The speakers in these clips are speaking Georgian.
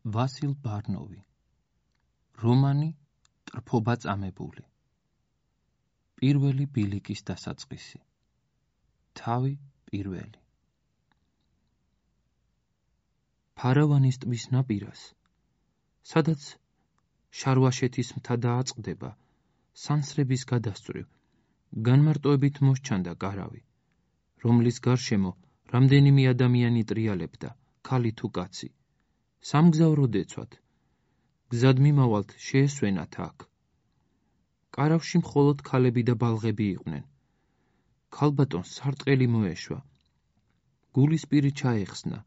ვასილ ბარნოვი. რომანი ტრფობა წამებული. პირველი ბილიკის დასაწყისი. თავი პირველი. ფარავანის ტბის ნაპირას, სადაც შარვაშეთის მთა დააწყდება, სანსრების გადასწვრივ, განმარტოებით მოსჩანდა კარავი, რომლის გარშემო რამდენიმე ადამიანი ტრიალებდა, ქალი თუ კაცი. სამგზავრო დეცვათ, გზად მიმავალთ შეესვენათ აქ. კარავში მხოლოდ ქალები და ბალღები იყვნენ. ქალბატონს სარტყელი მოეშვა. გულისპირი ჩაეხსნა,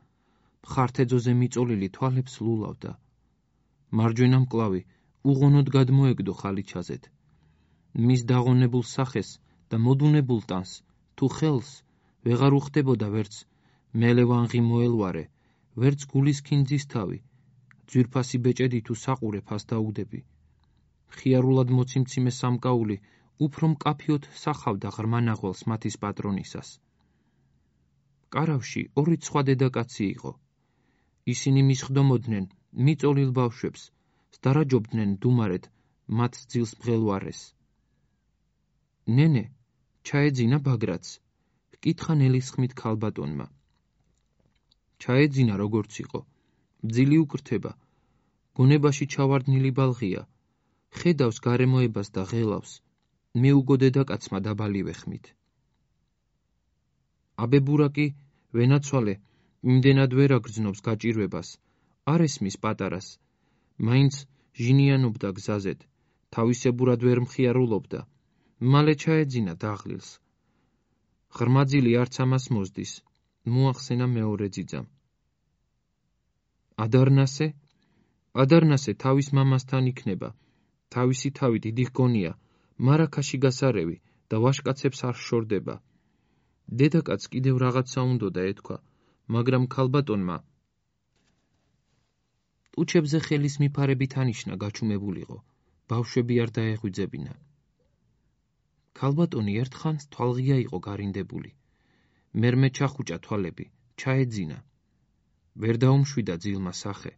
მხართეძოზე მიწოლილი თვალებს ლულავდა. მარჯვენა მკლავი უღონოდ გადმოეგდო ხალიჩაზეთ. მის დაღონებულ სახეს და მოდუნებულ ტანს თუ ხელს ვეღარ უხდებოდა ვერც მელევანღი მოელვარე, ვერც გულის ქინძის თავი, ძვირფასი ბეჭედი თუ საყურე ფას დაუდები. ხიარულად მოციმციმე სამკაული უფრო მკაფიოდ სახავდა ღრმა ნაღველს მათის პატრონისას. კარავში ორი სხვა დედაკაცი იყო. ისინი მისხდომოდნენ მიწოლილ ბავშვებს, სდარაჯობდნენ დუმარეთ მათ ძილს მღელვარეს. ნენე, ჩაეძინა ბაგრატს, ჰკითხა ნელისხმით ქალბატონმა. ჩაეძინა როგორც იყო, მძილი უკრთება, გონებაში ჩავარდნილი ბალღია, ხედავს გარემოებას და ღელავს, მეუგო დედაკაცმა დაბალი ვეხმით. აბებურაკი ვენაცვალე, იმდენად ვერ აგრძნობს გაჭირვებას, არ ესმის პატარას, მაინც ჟინიანობდა გზაზეთ, თავისებურად ვერ მხიარულობდა, მალე ჩაეძინა დაღლილს. ღრმაძილი არც ამას მოსდის, მოახსენა მეორე ძიძამ. ადარნასე თავის მამასთან იქნება, თავისი თავი დიდი ჰგონია, მარაქაში გასარევი და ვაშკაცებს არ შორდება. დედაკაც კიდევ რაღაცა უნდოდა ეთქვა, მაგრამ ქალბატონმა ტუჩებზე ხელის მიფარებით ანიშნა გაჩუმებულიყო, ბავშვები არ დაეღვიძებინა. ქალბატონი ერთხანს თვალღია იყო გარინდებული. მერმე ჩახუჭა თვალები, ჩაეძინა. ვერ დაუმშვიდა ძილმა სახე.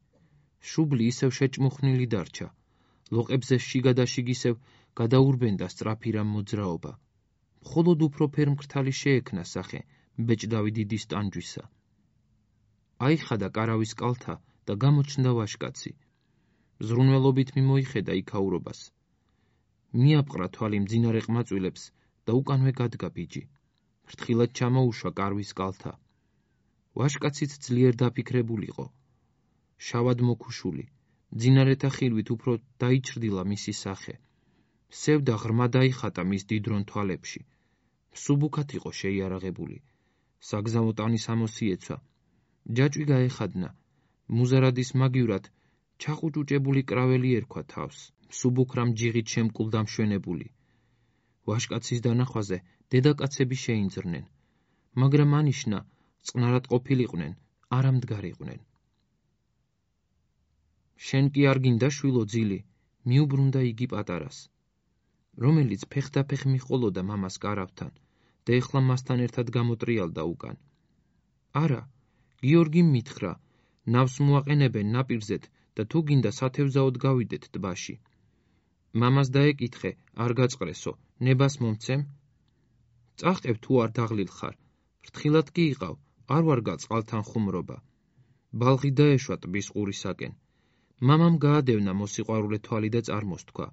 შუბლი ისევ შეჭმუხნილი დარჩა. ლოყებზე შიგა და შიგისევ გადაურბენდა სწრაფი რამ მოძრაობა. მხოლოდ უფრო ფერმკრთალი შეექნა სახე ბეჭდავი დიდის ტანჯვისა. აიხადა კარავის კალთა და გამოჩნდა ვაშკაცი. ზრუნველობით მიმოიხედა იქაურობას. მიაპყრა თვალი მძინარე ყმაწვილებს და უკანვე გადგა ბიჯი. ფრთხილად ჩამოუშვა კარვის კალთა. ვაშკაციც ძლიერ დაფიქრებულიყო. შავად მოქუშული, მძინარეთა ხილვით უფრო დაიჩრდილა მისი სახე. სევდა ღრმა დაიხატა მის დიდრონ თვალებში. მსუბუქად იყო შეიარაღებული. საგზაო ტანის ამოსიეცვა. ჯაჭვი გაეხადნა. მუზარადის მაგივრად ჩაყუჭუჭებული კრაველი ერქვა თავს. მსუბუქ რამ ჯიღით შემკულ დამშვენებული. ვაშკაცის დანახვაზე დედაკაცები შეინძრნენ, მაგრამ ანიშნა წყნარად ყოფილიყვნენ, არ ამდგარიყვნენ. შენ კი არ გინდა შვილო ძილი, მიუბრუნდა იგი პატარას, რომელიც ფეხდაფეხ მიჰყოლოდა მამას კარავთან და ეხლა მასთან ერთად გამოტრიალდა უკან. არა, გიორგიმ მითხრა, ნავს მოაყენებენ ნაპირზეთ და თუ გინდა სათევზაოდ გავიდეთ ტბაში. მამას დაეკითხე, არ გაწყრესო, ნებას მომცემ? წახტებ თუ არ დაღლილ ხარ, ფრთხილად კი იყავ, არ ვარ გაწყალთან ხუმრობა. ბალღი დაეშვა ტბის ყურისაკენ. მამამ გაადევნა მოსიყვარულე თვალი და წარმოსთქვა.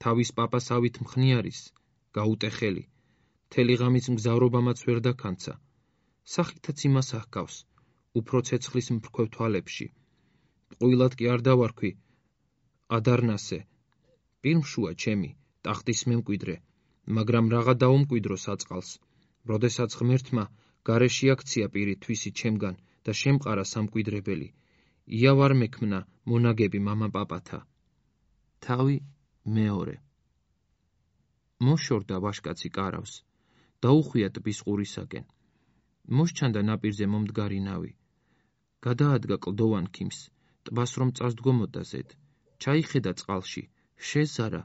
თავის პაპას ავით მხნიარის, გაუტეხელი, მთელი ღამის მგზავრობამაც ვერ დაქანცა. სახითაც იმას აჰკავს, უფრო ცეცხლის მფრქვევ თვალებში. ყვილად კი არ დავარქვი, ადარნასე, პირმშუა ჩემი, ტახტის მემკვიდრე, მაგრამ რაღა დაუმკვიდრო საწყალს, როდესაც ღმერთმა გარეში აქცია პირი თვისი ჩემგან და შემყარა სამკვიდრებელი, იავარ მექმნა მონაგები მამა პაპათა. თავი მეორე. მოშორდა ვაშკაცი კარავს, დაუხვია ტბის ყურისაკენ. მოსჩანდა ნაპირზე მომდგარი ნავი. გადაადგა კლდოვან ქიმს, ტბას რომ წასდგომოდა ზედ, ჩაიხედა წყალში, შეზარა.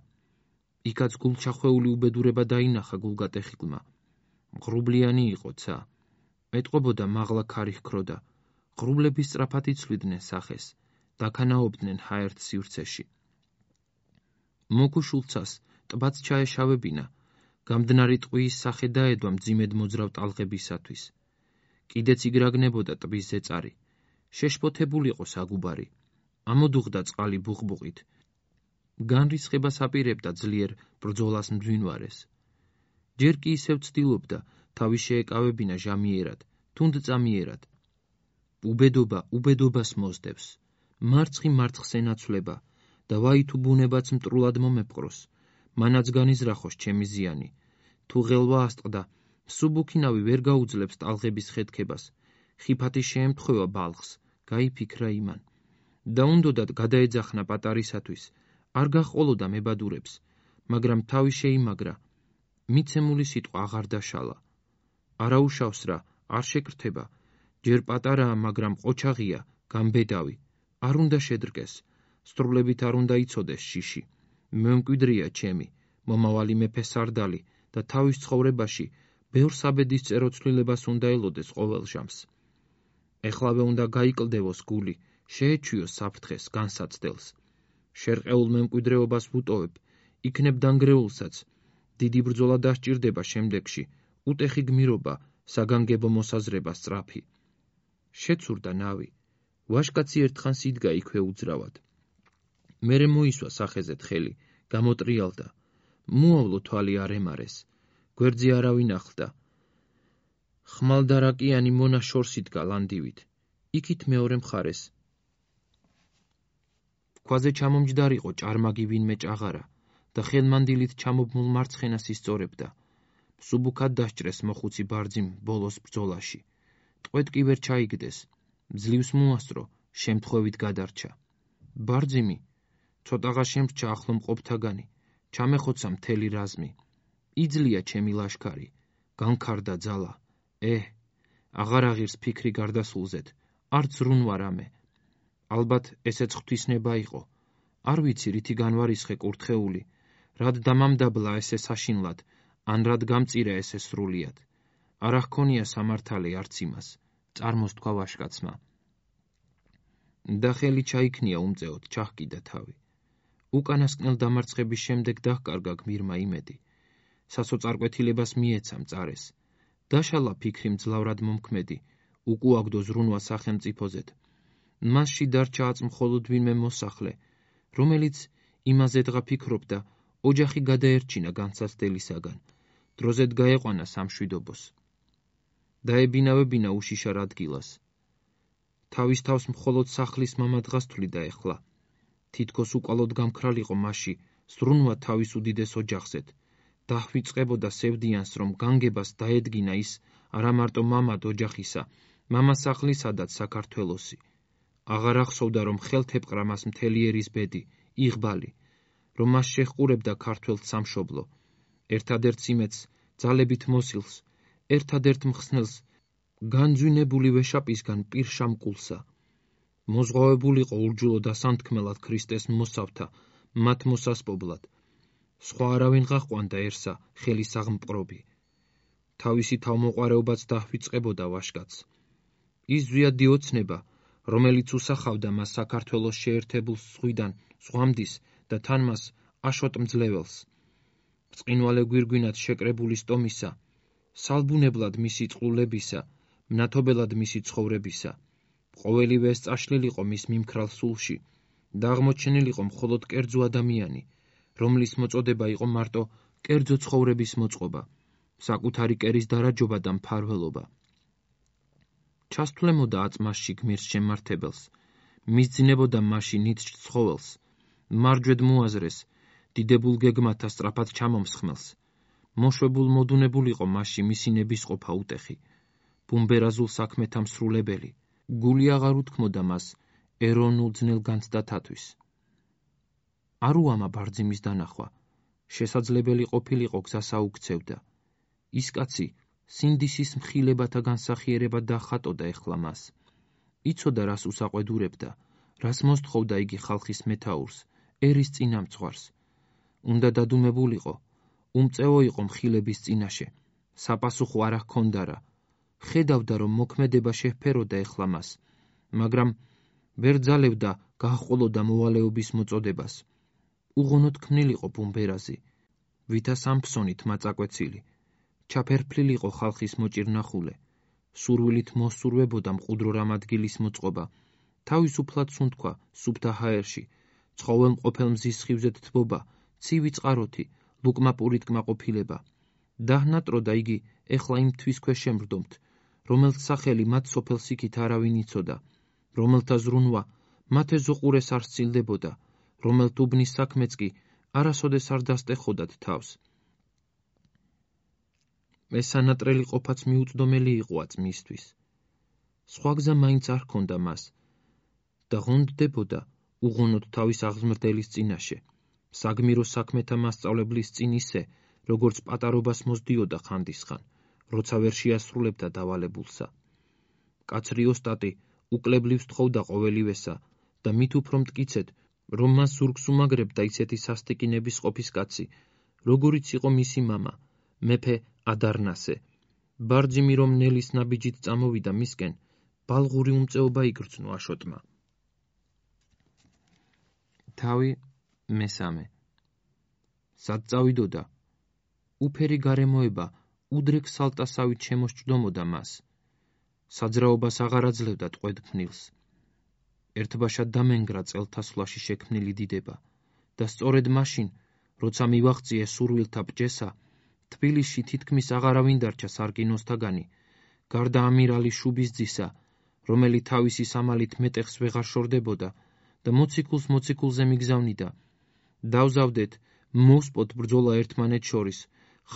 იქაც გულჩახვეული უბედურება დაინახა გულგატეხილმა. მღრუბლიანი იყო ცა. ეტყობოდა მაღლა ქარი ჰქროდა, ღრუბლები სწრაფად იცვლიდნენ სახეს, დაქანაობდნენ ჰაერთ სივრცეში. მოგუშულცას ტბაც ჩაეშავებინა, გამდნარი ტყვიის სახე დაედვა მძიმედ მოძრავ ტალღებისათვის. კიდეც იგრაგნებოდა ტბის ზეწარი, შეშფოთებულიყო საგუბარი, ამოდუღდა წყალი ბუხბუყით, განრისხებას აპირებდა ძლიერ ბრძოლას მძვინვარეს. ჯერ კი ისევ ცდილობდა თავი შეეკავებინა ჟამიერად, თუნდწამიერად. უბედობა უბედობას მოსდევს, მარცხი მარცხს ენაცვლება და ვაი თუ ბუნებაც მტრულად მომეპყროს, მანაც განიზრახოს ჩემი ზიანი. თუ ღელვა ასტყდა, მსუბუქინავი ვერ გაუძლებს ტალღების ხეთქებას, ხიფათი შეემთხვევა ბალხს, გაიფიქრა იმან. და უნდოდათ გადაეძახნა პატარისათვის, არ გაჰყოლოდა მებადურებს, მაგრამ თავი შეიმაგრა, მიცემული სიტყვა აღარ დაშალა. არაუშავს რა, არ შეკრთება, ჯერ პატარაა, მაგრამ ყოჩაღია, გამბედავი, არ უნდა შედრკეს, სტრულებით არ უნდა იცოდეს შიში. მემკვიდრია ჩემი, მომავალი მეფე სარდალი და თავის ცხოვრებაში ბევრ საბედის წეროცვლილებას უნდა ელოდეს ყოველ ჟამს. ეხლავე უნდა გაიკლდევოს გული, შეეჩვიოს საფრთხეს, განსაცდელს. შერყეულ მემკვიდრეობას ვუტოვებ, იქნებ დანგრეულსაც, დიდი ბრძოლა დასჭირდება შემდეგში, უტეხი გმირობა, საგანგებო მოსაზრება სწრაფი. შეცურდა ნავი, ვაშკაცი ერთხანს იდგა იქვე უძრავად. მერე მოისვა სახეზე თხელი, გამოტრიალდა, მოავლო თვალი არ ემარეს, გვერდზე არავინ ახლდა. ხმალდარაკიანი მონა შორს იდგა ლანდივით, იქით მეორე მხარეს. ქვაზე ჩამომჯდარიყო ჭარმაგი ვინმე ჭაღარა და ხელმანდილით ჩამობმულ მარცხენას ისწორებდა. მსუბუქად დასჭრეს მოხუცი ბარძიმ ბოლოს ბრძოლაში. ტყვედ კი ვერ ჩაიგდეს, ძლივს მოასწრო, შემთხვევით გადარჩა. ბარძიმი, ცოტაღა შემრჩა ახლო მყოფთაგანი, ჩამეხოცა მთელი რაზმი. იძლია ჩემი ლაშქარი, განქარდა ძალა. აღარ აღირს ფიქრი გარდასულზეთ, არც ზრუნვა რამე. ალბათ ესეც ღვთისნება იყო. არ ვიცი რითი განვარისხე კურთხეული, რად დამამდაბლა ესე საშინლად, ან რად გამწირა ესე სრულიად. არა ჰქონია სამართალი არც იმას, წარმოსთქვა ვაშკაცმა. და ხელი ჩაიქნია უმწეოდ, ჩაჰკიდა თავი. უკანასკნელ დამარცხების შემდეგ დაჰკარგა გმირმა იმედი. სასოწარკვეთილებას მიეცა მწარეს. დაშალა ფიქრი მძლავრად მომქმედი, უკუაგდო ზრუნვა სახელმწიფოზედ. მასში დარჩა აწ მხოლოდ ვინმე მოსახლე, რომელიც იმაზე დღა ფიქრობდა, ოჯახი გადაერჩინა განსაცდელისაგან, დროზედ გაეყვანა სამშვიდობოს. დაებინავებინა უშიშარ ადგილას. თავის თავს მხოლოდ სახლის მამა დღას თვლიდა ეხლა. თითქოს უკვალოდ გამქრალიყო მასში, ზრუნვა თავის უდიდეს ოჯახზეთ. დაჰვიწყებოდა სევდიანს, რომ განგებას დაედგინა ის არა მარტო მამად ოჯახისა, მამასახლისადაც საქართველოსი. აღარ ახსოვდა, რომ ხელთ ეპყრა მას მთელი ერის ბედი, იღბალი, რომ მას შეჰყურებდა ქართველ სამშობლო, ერთადერთ იმედს, ძალებით მოსილს, ერთადერთ მხსნელს, განძვინებული ვეშაპისგან პირშამკულსა. მოზღვავებულიყო ურჯულო დასანთქმელად ქრისტეს მოსავთა, მათ მოსასპობლად. სხვა არავინ გაჰყვანდაერსა ხელის აღმპყრობი. თავისი თავმოყარეობაც დაჰვიწყებოდა ვაშკაცს. ის ზვიადი ოცნება, რომელიც უსახავდა მას საქართველოს შეერთებულ ზღვიდან ზღვამდის და თან მას აშოტმძლეველს. ბრწყინვალე გვირგვინად შეკრებული სტომისა, სალბუნებლად მისი წყლულებისა, მნათობელად მისი ცხოვრებისა. ყოველივე ეს წაშლილიყო მის მიმქრალ სულში და აღმოჩენილიყო მხოლოდ კერძო ადამიანი, რომლის მოწოდება იყო მარტო კერძო ცხოვრების მოწყობა, საკუთარი კერის დარაჯობა და მფარველობა. ჩასთვლემოდა აწ მასში გმირს შემართებელს, მისძინებოდა მასში ნიჭ ცხოველს, მარჯვედ მოაზრეს, დიდებულ გეგმათა სწრაფად ჩამომსხმელს. მოშვებულ მოდუნებულიყო მასში მისი ნებისყოფა უტეხი, ბუმბერაზულ საქმეთა მსრულებელი. გული აღარ უთქმოდა მას ეროვნულ ძნელ განცდათათვის. არ უამა ბარძიმის დანახვა, შესაძლებელი ყოფილიყო გზას აუქცევდა. ის კაცი სინდისის მხილებათა განსახიერება დახატოდა ეხლა მას. იცოდა რას უსაყვედურებდა, რას მოსთხოვდა იგი ხალხის მეთაურს, ერის წინამძღვარს. უნდა დადუმებულიყო, უმწეო იყო მხილების წინაშე, საპასუხო არა ჰქონდა რა. ხედავდა, რომ მოქმედება შეჰფეროდა ეხლა მას, მაგრამ ვერ ძალევდა გაჰყოლოდა მოვალეობის მოწოდებას. უღონოდ ქმნილიყო ბუმბერაზი, ვითა სამფსონით მაწაკვეცილი, ჩაფერფლილიყო ხალხის მოჭირნახულე, სურვილით მოსურვებოდა მყუდრო რამადგილის მოწყობა, თავისუფლად სუნთქვა სუფთა ჰაერში, ცხოველმყოფელ მზის სხივზეთ თბობა, ცივი წყაროთი, ლუკმაპურით კმაყოფილება. დაჰნატროდა იგი ეხლა იმ თვის ქვეშ შემრდომთ, რომელთ სახელი მათ სოფელს იქით არავინ იცოდა, რომელთა ზრუნვა მათ ეზოყურეს არ სცილდებოდა, რომელთ უბნის საქმეც კი არასოდეს არ დასტეხოდათ თავს. მესანატრელი ყოფაც მიუწდომელი იყოაც მისთვის. სხვა გზა მაინც არ ჰქონდა მას და ღონდდებოდა უღონოდ თავის აღზმრდელის წინაშე, საგმირო საქმეთა მასწავლებლის წინ ისე, როგორც პატარობას მოსდიოდა ხანდისხან, როცა ვერ შეასრულებდა დავალებულსა. კაცრი ოსტატი უკლებლივ სთხოვდა ყოველივესა და მით უფრო მტკიცედ, რომ მას ზურგს უმაგრებდა ისეთი სასტიკინების ყოფის კაცი, როგორიც იყო მისი მამა, მეფე ადარნასე. ბარძიმი რომ ნელის ნაბიჯით წამოვიდა მისკენ, ბალღური უმწეობა იგრძნო აშოტმა. თავი მესამე. სად წავიდოდა? უფერი გარემოება უდრეკ სალტასავით შემოსჭდომოდა მას. საძრაობას აღარ აძლევდა ტყვედ-ფნილს. ერთბაშად დამენგრა წელთასვლაში შექმნილი დიდება და სწორედ მაშინ, როცა მივაღწიე სურვილთა ბჭესა, თბილისში თითქმის აღარავინ დარჩა სარკინოსთაგანი, გარდა ამირალი შუბისძისა, რომელი თავისი სამალით მეტეხს ვეღარ შორდებოდა და მოციქულს-მოციქულზე მიგზავნიდა. დავზავდეთ, მოვსპოთ ბრძოლა ერთმანეთ შორის,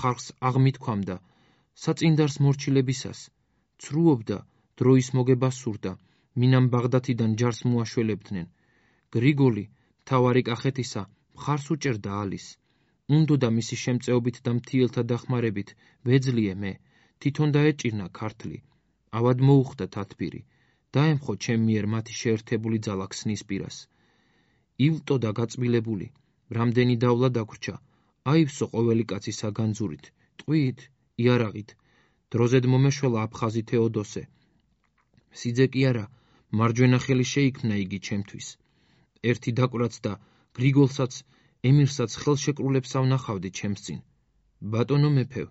ხალხს აღმითქვამდა, საწინდარს მორჩილებისას, ცრუობდა, დროის მოგება სურდა, მინამ ბაღდათიდან ჯარს მოაშველებდნენ. გრიგოლი, მთავარი კახეთისა, მხარს უჭერდა ალის. უნდოდა მისი შემწეობით და მთიელთა დახმარებით ვეძლიე მე, თვითონ დაეჭირნა ქართლი. ავად მოუხდა თათბირი, დაემხო ჩემ მიერ მათი შეერთებული ძალა ქსნის პირას. ილტოდა გაწმილებული, რამდენი დავლა დაგვრჩა, აივსო ყოველი კაცი საგანძურით, ტყვით, იარაღით, დროზედ მომეშველა აფხაზი თეოდოსე. სიძე კი არა, მარჯვენა ხელი შეიქმნა იგი ჩემთვის. ერთი დაკვრაც და გრიგოლსაც, ემირსაც ხელშეკრულებს ავნახავდი ჩემს წინ. ბატონო მეფევ,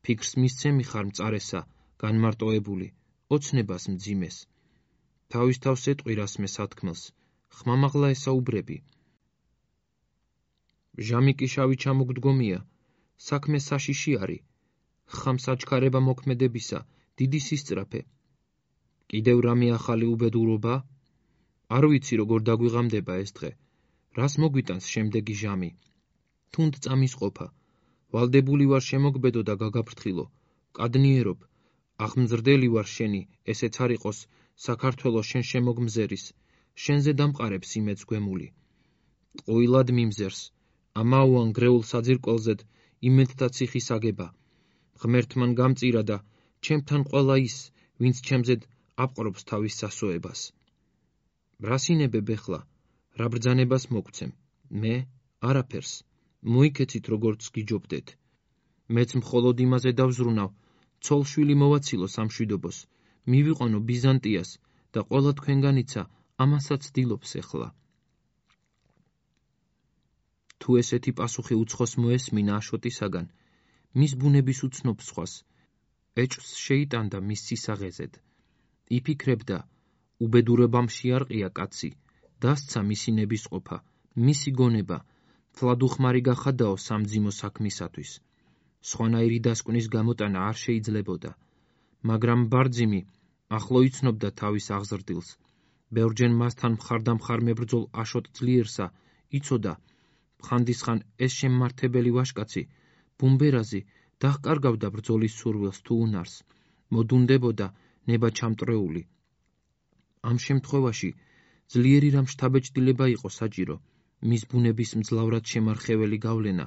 ფიქრს მისცემი ხარ მწარესა, განმარტოებული, ოცნებას მძიმეს. თავის თავს ეტყვირას მე სათქმელს, ხმამაღლა ესაუბრები. ჟამი კი შავი ჩამოგდგომია, საქმე საშიში არი, ხამ საჩქარება მოქმედებისა, დიდი სისწრაფე. კიდევ რამე ახალი უბედურობა? არ ვიცი როგორ დაგვიღამდება ეს დღე, რას მოგვიტანს შემდეგი ჟამი. თუნდ წამის ყოფა, ვალდებული ვარ შემოგბედო და გაგაფრთხილო, კადნიერობ, აღმზრდელი ვარ შენი, ესეც არ იყოს საქართველოს შენ შემოგმზერის, შენზე დამყარებს იმეც გვემული. ყოილად მიმზერს, ამაუან გრეულ საძირკველზედ იმედთა ციხის აგება. ღმერთმან გამწირა და ჩემთან ყველა ის, ვინც ჩემზედ აპყრობს თავის სასოებას. რასინებებ ეხლა, რა ბრძანებას მოგცემ, მე არაფერს, მოიქეცით როგორც გიჯობდეთ. მეც მხოლოდ იმაზე დავზრუნავ, ცოლშვილი მოვაცილო სამშვიდობოს, მივიყვანო ბიზანტიას და ყველა თქვენგანიცა ამასაც ცდილობს ეხლა. თუ ესეთი პასუხი უცხოს მოესმინა აშოტისაგან, მის ბუნების უცნობ სხვას, ეჭვს შეიტანდა მის სისაღეზედ. იფიქრებდა, უბედურებამ შეარყია კაცი, დასცა მისი ნებისყოფა, მისი გონება, თლადუხმარი გახადაო სამძიმო საქმისათვის. სხვანაირი დასკვნის გამოტანა არ შეიძლებოდა, მაგრამ ბარძიმი ახლო იცნობდა თავის აღზრდილს. ბევრჯერ მასთან მხარდამხარ მებრძოლ აშოტ ძლიერსა იცოდა, ხანდისხან ეს შემმართებელი ვაჟკაცი, ბუმბერაზი, დაჰკარგავდა ბრძოლის სურვილს თუ უნარს, მოდუნდებოდა ნება ჩამტრეული. ამ შემთხვევაში ძლიერი რამ შთაბეჭდილება იყო საჭირო, მის ბუნების მძლავრად შემარხეველი გავლენა,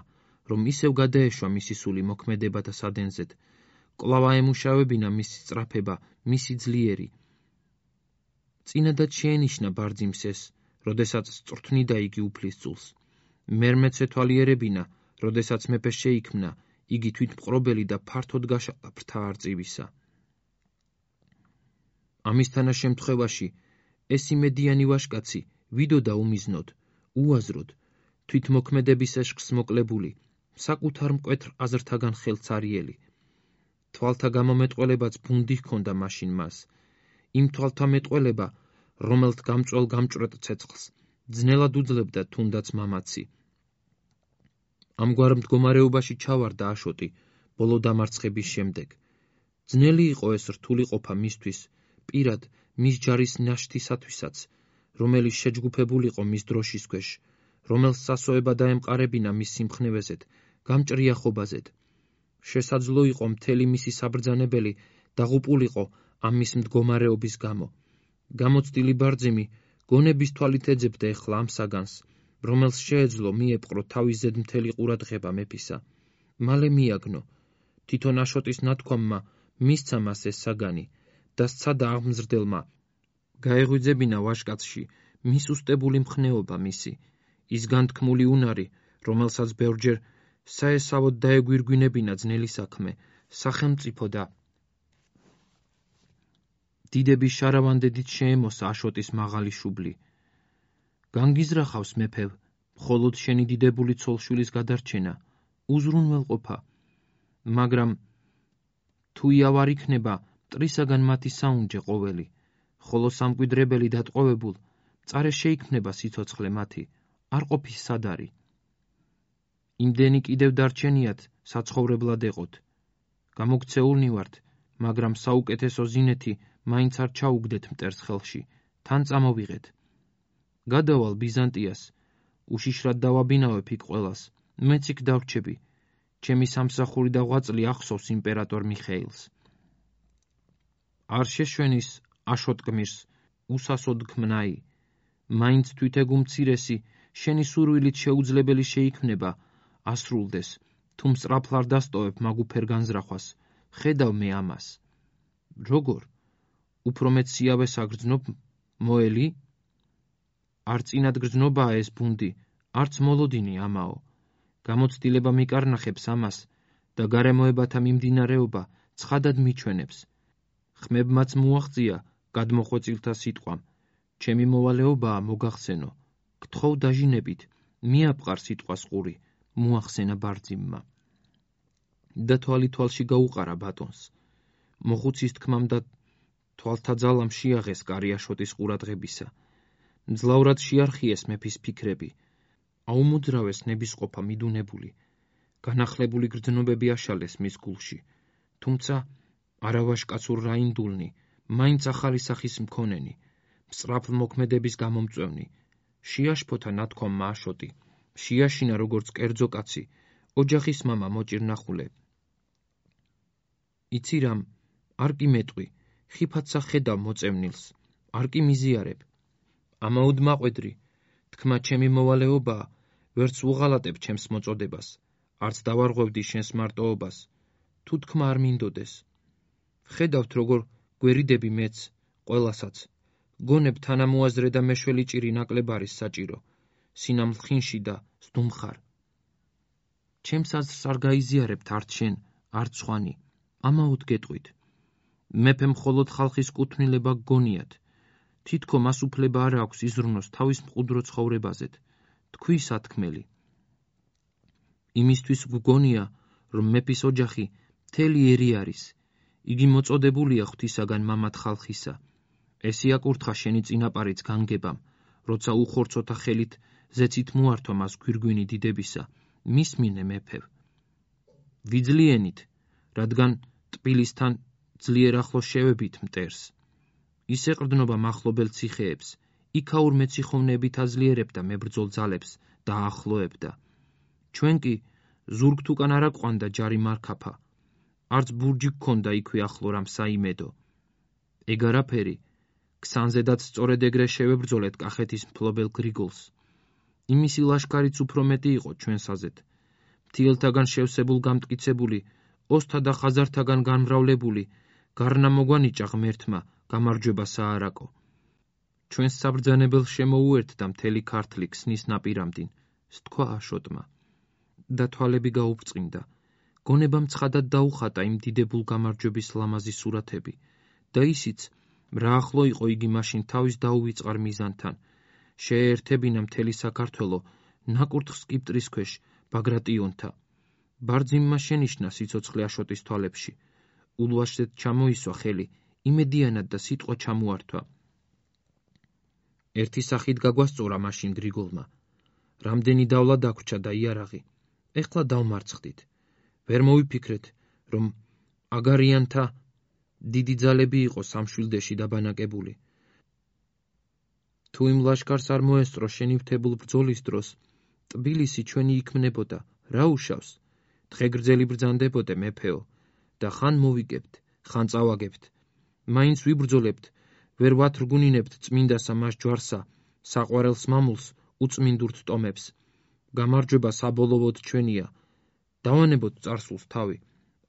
რომ ისევ გადაეშვა მისი სული მოქმედებათა სადენზედ, კვლავ აემუშავებინა მისი სწრაფება, მისი ძლიერი. წინადად შეენიშნა ბარძიმს ეს, როდესაც სწრთნიდა იგი უფლისწულს. მერმეც ეთვალიერებინა, როდესაც მეფე შეიქმნა, იგი თვითმყრობელი და ფართოდ გაშალა ფრთა არწივისა. ამის თანაშემთხვევაში ეს იმედიანი ვაჟკაცი ვიდოდა უმიზნოდ, უაზროდ, თვითმოქმედების ეშხს მოკლებული, საკუთარ მკვეთრ აზრთაგან ხელცარიელი. თვალთა გამომეტყველებაც ბუნდი ჰქონდა მაშინ მას, იმ თვალთა მეტყველება, რომელთ გამწველ გამჭვრეტ ცეცხლს ძნელად უძლებდა თუნდაც მამაცი. ამგვარ მდგომარეობაში ჩავარდა აშოტი ბოლო დამარცხების შემდეგ. ძნელი იყო ეს რთული ყოფა მისთვის, პირად მის ჯარის ნაშთისათვისაც, რომელიც შეჯგუფებულიყო მის დროშის ქვეშ, რომელს სასოება დაემყარებინა მის სიმხნევეზეთ, გამჭრია ხობაზეთ. შესაძლო იყო მთელი მისი საბრძანებელი დაღუპულიყო ამ მის მდგომარეობის გამო. გამოცდილი ბარძიმი გონების თვალით ეძებდა ეხლა ამ საგანს, რომელს შეეძლო მიეპყრო თავის ზედ მთელი ყურადღება მეფისა. მალე მიაგნო, თვითონ აშოტის ნათქვამმა მისცა მას ეს საგანი და სცადა აღმზრდელმა გაეღვიძებინა ვაჟკაცში მის უსტებული მხნეობა მისი, ის განთქმული უნარი, რომელსაც ბევრჯერ საესავოდ დაეგვირგვინებინა ძნელი საქმე, სახელმწიფო და დიდების შარავანდედით შეემოსა აშოტის მაღალი შუბლი. განგიზრახავს მეფევ, მხოლოდ შენი დიდებული ცოლშვილის გადარჩენა, უზრუნველყოფა, მაგრამ თუ იავ არ იქნება მტრისაგან მათი საუნჯე ყოველი, ხოლო სამკვიდრებელი დატყვევებულ, მწარე შეიქმნება სიცოცხლე მათი, არ ყოფის სადარი. იმდენი კიდევ დარჩენიათ საცხოვრებლად ეყოთ. გამოგცეულნი ვართ, მაგრამ საუკეთესო ზინეთი მაინც არ ჩაუგდეთ მტერს ხელში, თან წამოვიღეთ. გადავალ ბიზანტიას, უშიშრად დავაბინავებ იქ ყველას, მეც იქ დავრჩები, ჩემი სამსახური და ღვაწლი ახსოვს იმპერატორ მიხეილს. არ შეშვენის აშოტ გმირს, უსასოდ ქმნაი, მაინც თვითეგ უმცირესი, შენი სურვილით შეუძლებელი შეიქმნება, ასრულდეს, თუ მსწრაფლ არ დასტოვებ მაგუფერ განზრახვას, ხედავ მე ამას. როგორ? უფრო მეც სიავეს აგრძნობ, მოელი? არ წინად გრძნობაა ეს ბუნდი, არც მოლოდინი ამაო. გამოცდილება მიკარნახებს ამას და გარემოებათა მიმდინარეობა ცხადად მიჩვენებს. ხმებმაც მოაღწია გადმოხვეწილთა სიტყვამ, ჩემი მოვალეობაა მოგახსენო, გთხოვ დაჟინებით, მიაპყარ სიტყვას ყური, მოახსენა ბარძიმმა. და თვალი თვალში გაუყარა ბატონს. მოხუცის თქმამ და თვალთა ძალამ შეაღეს კარი აშოტის ყურადღებისა. მძლავრად შეარხიეს მეფის ფიქრები, აუმოძრავეს ნებისყოფა მიდუნებული, განახლებული გრძნობები აშალეს მის გულში, თუმცა არავაშკაცურ რაინდულნი, მაინც ახალი სახის მქონენი, მსწრაფლ მოქმედების გამომწვევნი, შეაშფოთა ნათქვამმა აშოტი, შეაშინა როგორც კერძო კაცი, ოჯახის მამა მოჭირნახულე. იცი რამ, არ კი მეტყვი, ხიფათსა ხედავ მოწევნილს, არ კი მიზიარებ. ამაოდ მაყვედრი, თქმა ჩემი მოვალეობაა, ვერც უღალატებ ჩემს მოწოდებას, არც დავარღვევდი შენს მარტოობას, თუ თქმა არ მინდოდეს. ხედავთ როგორ გვერიდები მეც, ყველასაც, გონებ თანამოაზრე და მეშველი ჭირი ნაკლებ არის საჭირო, სინამლ ხინში და სდუმხარ. ჩემს აზრს არ გაიზიარებთ არც შენ, არც სხვანი, ამაოდ გეტყვით. მეფე მხოლოდ ხალხის კუთვნილება გგონიათ, თითქო მას უფლება არ აქვს იზრუნოს თავის მყუდრო ცხოვრებაზეთ, თქვი სათქმელი. იმისთვის გგონია, რომ მეფის ოჯახი მთელი ერი არის, იგი მოწოდებულია ღვთისაგან მამად ხალხისა. ეს იაკურთხა შენი წინაპარიც განგებამ, როცა უხორცოთა ხელით ზეცით მოართვა მას გვირგვინი დიდებისა, მისმინე მეფევ. ვიძლიენით, რადგან ტყბილისთან ძლიერ ახლოს შევებით მტერს. ის ეყრდნობა მახლობელ ციხეებს, იქაურ მეციხოვნეებით აძლიერებდა მებრძოლ ძალებს და აახლოებდა. ჩვენ კი ზურგთ უკან არ აკვანდა ჯარი მარქაფა, არც ბურჯი გქონდა იქვე ახლო რამ საიმედო. ეგ არაფერი, ქსანზედაც სწორედ ეგრე შევებრძოლეთ კახეთის მფლობელ გრიგოლს. იმისი ლაშქარიც უფრო მეტი იყო ჩვენსაზეთ, მთიელთაგან შევსებულ გამტკიცებული, ოსთა და ხაზართაგან განმრავლებული, გარნა მოგვანიჭა ღმერთმა გამარჯვება საარაკო. ჩვენს საბრძანებელს შემოუერთდა მთელი ქართლი ქსნის ნაპირამდინ, სთქვა აშოტმა. და თვალები გაუბრწყინდა, გონებამ ცხადად დაუხატა იმ დიდებულ გამარჯვების ლამაზი სურათები და ისიც, რა ახლო იყო იგი მაშინ თავის დაუვიწყარ მიზანთან. შეეერთებინა მთელი საქართველო ნაკურთხ სკიპტრის ქვეშ ბაგრატიონთა. ბარძიმმა შენიშნა სიცოცხლე აშოტის თვალებში. ულვაშეთ ჩამოისვა ხელი, იმედიანად და სიტყვა ჩამოართვა. ერთი სახით გაგვასწორა მაშინ გრიგოლმა. რამდენი დავლა დაგვრჩა და იარაღი. ეხლა დავმარცხდით. ვერ მოვიფიქრეთ, რომ აგარიანთა დიდი ძალები იყო სამშვილდეში დაბანაკებული. თუ იმ ლაშქარს არ მოესწრო შენივთებულ ბრძოლის დროს, ტბილისი ჩვენი იქმნებოდა, რა უშავს? დღეგრძელი ბრძანდებოდე მეფეო და ხან მოვიგებთ, ხან წავაგებთ. მაინც ვიბრძოლებთ, ვერ ვათრგუნინებთ წმინდასა მას ჯვარსა, საყვარელს მამულს, უწმინდურთ ტომებს. გამარჯვება საბოლოოდ ჩვენია. დავანებოთ წარსულს თავი.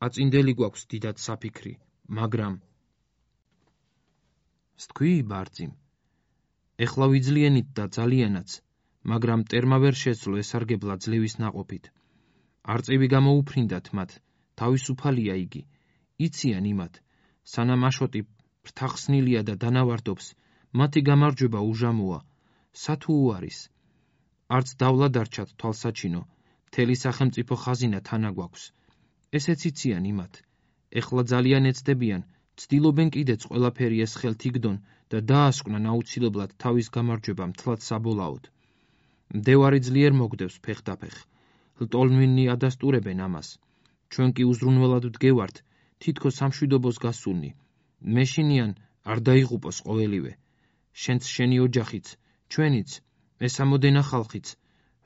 აწინდელი გვაქვს დიდად საფიქრი, მაგრამ სთქვი ბარძიმ. ეხლა ვიძლიენით და ძალიანაც, მაგრამ მტერმა ვერ შეძლო ესარგებლა ძლევის ნაყოფით. არწივი გამოუფრინდათ მათ, თავისუფალია იგი. იციან იმათ, სანამ აშოტი ფრთახსნილია და დანავარდობს, მათი გამარჯვება უჟამოა. სათუ უარის. არც დავლა დარჩათ თვალსაჩინო, მთელი სახელმწიფო ხაზინა თანა გვაქვს. ესეც იციან იმათ. ეხლა ძალიან ეცდებიან, ცდილობენ კიდეც ყველაფერი ეს ხელთ იგდონ და დაასკვნან აუცილებლად თავის გამარჯვება მთლად საბოლაოდ. მდევარი ძლიერ მოგდევს ფეხდაფეხ. ლტოლმინნი ადასტურებენ ამას. ჩვენ კი უზრუნველად ვდგევართ, თითქოს სამშვიდობოს გასულნი. მეშინიან არ დაიღუპოს ყოველივე. შენც შენი ოჯახიც, ჩვენიც, ეს ამოდენა ხალხიც,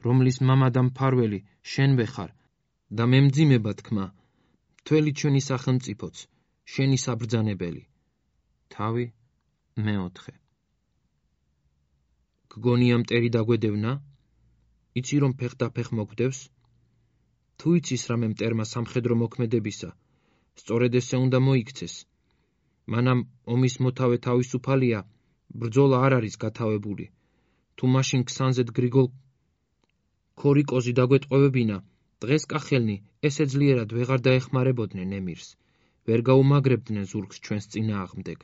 რომლის მამა და მფარველი შენ ვეხარ და მემძიმება თქმა, მთელი ჩვენი სახელმწიფოც, შენი საბრძანებელი. თავი მეოთხე. გგონია მტერი დაგვედევნა? იცი რომ ფეხდაფეხ მოგდევს? თუ იცის რამე მტერმა სამხედრო მოქმედებისა, სწორედ ესე უნდა მოიქცეს. მანამ ომის მოთავე თავისუფალია, ბრძოლა არ არის გათავებული. თუ მაშინ ქსანზედ გრიგოლ ქორიკოზი დაგვეტყვევებინა, დღეს კახელნი ესე ძლიერად ვეღარ დაეხმარებოდნენ ემირს, ვერ გაუმაგრებდნენ ზურგს ჩვენს წინააღმდეგ.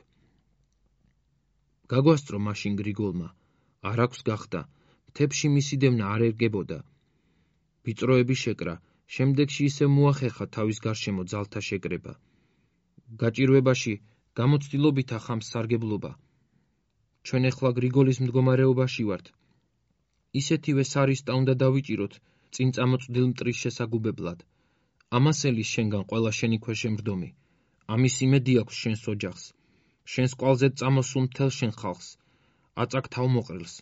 გაგვასწრო მაშინ გრიგოლმა, არ აქვს გახდა, მთებში მისი დევნა არ ერგებოდა. ვიწროები შეკრა, შემდეგში ისე მოახერხა თავის გარშემო ძალთა შეკრება. გაჭირვებაში გამოცდილობით ახამს სარგებლობა. ჩვენ ეხლა გრიგოლის მდგომარეობაში ვართ. ისეთივე სარისტა უნდა დავიჭიროთ წინ წამოწვდილ მტრის შესაგუბებლად. ამასელის შენგან ყველა შენი ქვეშემრდომი. ამის იმედი აქვს შენს ოჯახს. შენს კვალზედ წამოსულ მთელ შენ ხალხს. აწაკ თავმოყრილს.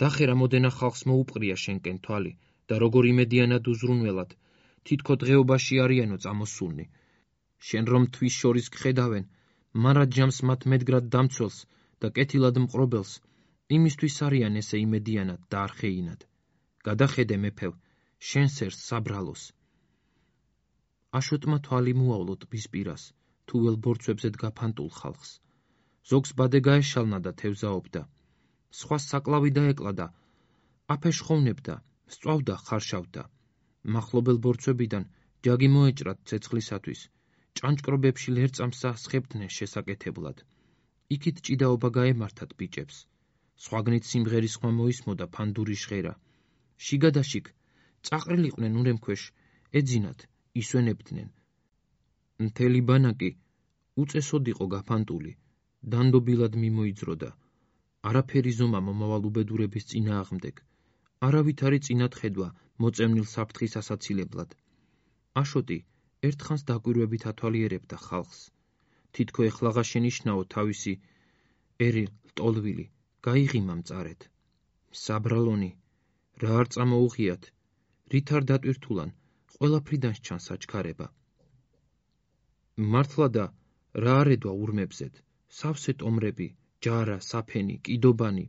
დახერა მოდენა ხალხს მოუპყრია შენკენ თვალი და როგორ იმედიანად უზრუნველად, თითქო დღეობაში არიანო წამოსულნი. შენ რომ თვის შორის გხედავენ, მარა ჯამს მათ მედგრად დამცველს და კეთილად მყრობელს, იმისთვის არიან ესე იმედიანად და არხეინად. გადახედე მეფევ, შენ სერს საბრალოს. აშოტმა თვალი მოავლო ტბის პირას, თუ վել ბორცვებზედ გაფანტულ ხალხს. ზოგს ბადე გაეშალნა და თევზაობდა. სხვას საკლავი დაეკლადა, აფეშხოვნებდა, სწვავდა, ხარშავდა. მახლობელ ბორცვებიდან ჯაგი მოეჭრათ ცეცხლისათვის. ჭანჭკრობებში ლერწამსა სხებდნენ შესაკეთებლად. იქით ჭიდაობა გაემართათ ბიჭებს. სხვაგნით სიმღერის ხმა მოისმოდა ფანდური ჟღერა. შიგადაშიგ წაყრილიყვნენ ურემქვეშ, ეძინათ, ისვენებდნენ. მთელი ბანაკი უწესოდ იყო გაფანტული, დანდობილად მიმოიძროდა. არაფერი ზომა მომავალ უბედურების წინააღმდეგ. არავითარი წინათ ხედვა მოწევნილ საფრთხის ასაცილებლად. აშოტი ერთხანს დაკვირვებით ათვალიერებდა ხალხს. თითქო ეხლაღა შენიშნაო თავისი ერი ლტოლვილი, გაიღიმა მწარეთ. საბრალონი, რა არ წამოუღიათ, რით არ დატვირთულან, ყველაფრიდან სჩანს საჩქარება. მართლა და რა არ ედვა ურმებზედ, სავსე ტომრები, ჯარა, საფენი, კიდობანი,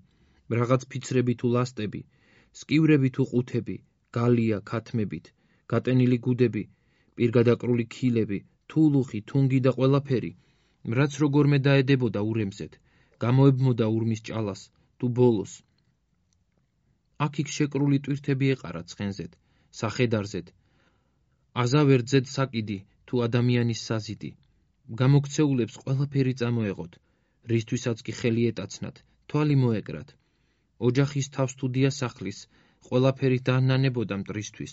რაღაც ფიცრები თუ ლასტები, სკივრები თუ ყუთები, გალია, ქათმებით, გატენილი გუდები, პირგადაკრული ქილები, თულუხი, თუნგი და ყველაფერი, რაც როგორმე დაედებოდა ურემზედ, გამოებმოდა ურმის ჭალას, თუ ბოლოს. აქ-იქ შეკრული ტვირთები ეყარა ცხენზედ, სახედარზედ, აზავერძედ საკიდი თუ ადამიანის საზიდი. გამოქცეულებს ყველაფერი წამოეღოთ, რისთვისაც კი ხელი ეტაცნათ, თვალი მოეკრათ. ოჯახის თავს თუ დიასახლის, ყველაფერი დაანანებოდა მტრისთვის,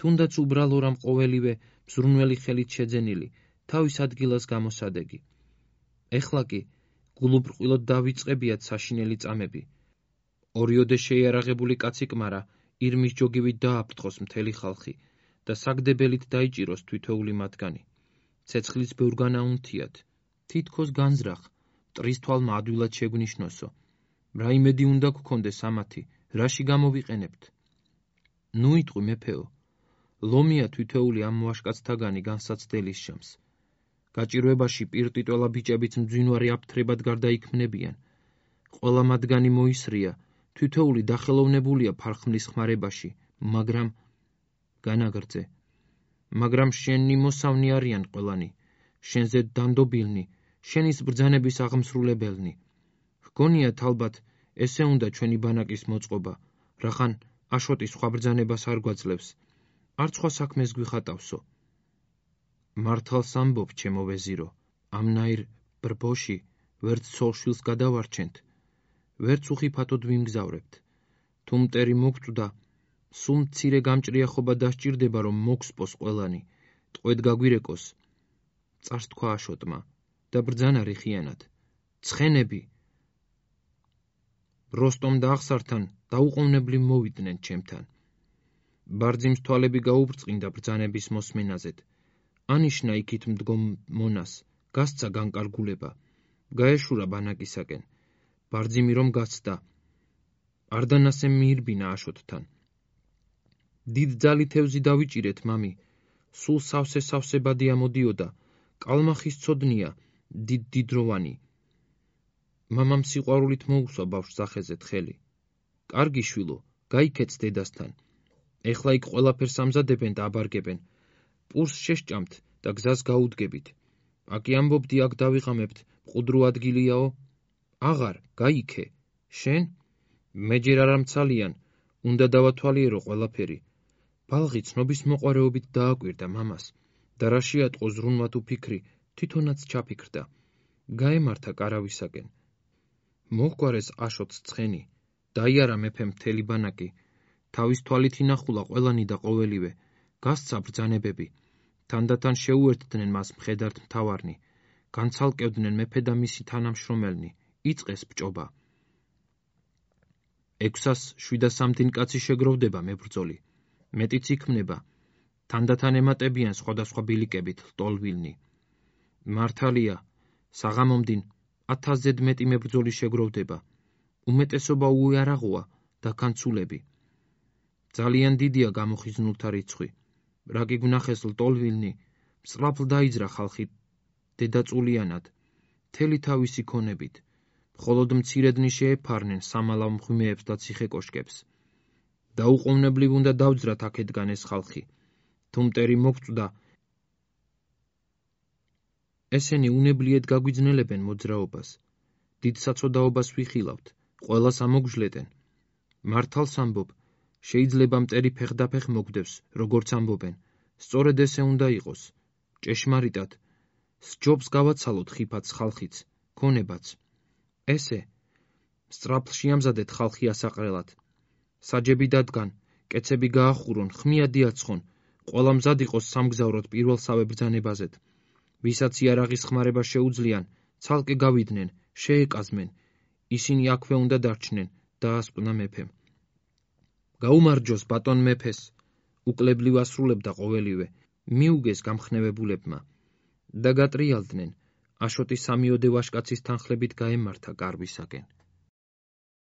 თუნდაც უბრალო რამ ყოველივე მზრუნველი ხელით შეძენილი, თავის ადგილას გამოსადეგი. ეხლა კი გულუბრყვილოდ დავიწყებიათ საშინელი წამები. ორიოდე შეიარაღებული კაცი კმარა ირმის ჯოგივით დააფრთხოს მთელი ხალხი და საგდებელით დაიჭიროს თითოეული მათგანი. ცეცხლის ბევრგან აუნთიათ, თითქოს განზრახ, მტრის თვალმა ადვილად შეგვნიშნოსო. რა იმედი უნდა გქონდეს ამათი, რაში გამოვიყენებთ? ნუ იტყვი მეფეო, ლომია თითოეული ამ ვაშკაცთაგანი განსაცდელის შამს. გაჭირვებაში პირტიტველა ბიჭებიც მძვინვარე აფთრებად გარდაიქმნებიან. ყველა მათგანი მოისრია, თითოეული დახელოვნებულია ფარხმლის ხმარებაში, მაგრამ შენი მოსავნი არიან ყველანი, შენზე დანდობილნი, შენის ბრძანების აღმსრულებელნი. ჰგონიათ ალბათ ესე უნდა ჩვენი ბანაკის მოწყობა, რახან აშოტი სხვა ბრძანებას არ გვაძლევს, არც სხვა საქმეს გვიხატავსო. მართალს ამბობ, ჩემო ვეზირო, ამნაირ ბრბოში ვერც ცოლ-შვილს გადავარჩენთ, ვერც უხიფათოდ ვიმგზავრებთ. თუ მტერი მოგწვდა, სულ მცირე გამჭრიახობა დასჭირდება, რომ მოგსპოს ყველანი, ტყვედ გაგვირეკოს. წარს თქვა აშოტმა და ბრძანა რიხიანად. ცხენები! როსტომ და აღსართან დაუყოვნებლივ მოვიდნენ ჩემთან. ბარძიმს თვალები გაუბრწყინდა ბრძანების მოსმენაზედ. ანიშნა იქით მდგომ მონას, გასცა განკარგულება, გაეშურა ბანაკისაკენ. ბარძიმი რომ გასცდა, არდანასე მიირბინა აშოტთან. დიდ ძალითევზი დავიჭირეთ, მამი, სულ სავსე-სავსებადი ამოდიოდა, კალმახის ცოდნია, დიდდროვანი. მამამ სიყვარულით მოუსვა ბავშვს სახეზეთ ხელი. კარგი შვილო, გაიქეც დედასთან. ეხლა იქ ყველაფერს ამზადებენ და აბარგებენ. პურს შეშჭამთ და გზას გაუდგებით. აკი ამბობდი აქ დავიღამებთ, მყუდრო ადგილიაო? აღარ, გაიქე. შენ? მეჯერ არ ამცალიან, უნდა დავათვალიერო ყველაფერი. ბალღი ცნობის მოყვარეობით დააკვირდა მამას და რა შეატყო ზრუნვა თუ ფიქრი, თვითონაც ჩაფიქრდა. გაემართა კარავისაკენ. მოჰგვარეს აშოტს ცხენი, დაიარა მეფემ მთელი ბანაკი, თავის თვალით ინახულა ყველანი და ყოველივე, გასცა ბრძანებები, თანდათან შეუერთდნენ მას მხედართ მთავარნი, განცალკევდნენ მეფე და მისი თანამშრომელნი, იწყეს ბჭობა. 607 კაცი შეგროვდება მებრძოლი, მეტიც იქმნება, თანდათან ემატებიან სხვადასხვა ბილიკებით ლტოლვილნი. მართალია, საღამომდინ 1000-ზედ მეტი მებრძოლი შეგროვდება, უმეტესობა უიარაღოა და განცულები. ძალიან დიდია გამოხიზნულთა რიცხვი. რა კი გვნახეს ლტოლვილნი, მსწრაფლ დაიძრა ხალხი დედაწულიანად, მთელი თავისი ქონებით, მხოლოდ მცირედნი შეეფარნენ სამალავ მღვიმეებს და ციხე-კოშკებს. დაუყოვნებლივ უნდა დავძრათ აქედგან ეს ხალხი, თუ მტერი მოგწვდა, ესენი უნებლიეთ გაგვიძნელებენ მოძრაობას, დიდ საცოდაობას ვიხილავთ, ყველას ამოგჟლეტენ. მართალს ამბობ, შეიძლება მტერი ფეხდაფეხ მოგდევს, როგორც ამბობენ, სწორედ ესე უნდა იყოს, ჭეშმარიტად, სჯობს გავაცალოთ ხიფათს ხალხიც, ქონებაც. ესე, სწრაფლ შეამზადეთ ხალხი ასაყრელად. საჯები დადგან, კეცები გაახურონ, ხმია დიაცხონ, ყველა მზად იყოს სამგზავროდ პირველსავე ბრძანებაზედ. ვისაც იარაღის ხმარება შეუძლიან, ცალკე გავიდნენ, შეეკაზმენ, ისინი აქვე უნდა დარჩნენ, დაასკვნა მეფემ. გაუმარჯოს ბატონ მეფეს, უკლებლივ ასრულებდა ყოველივე, მიუგეს გამხნევებულებმა და გატრიალდნენ, აშოტი 3-ოდე ვაშკაცის თანხლებით გაემართა კარვისაკენ.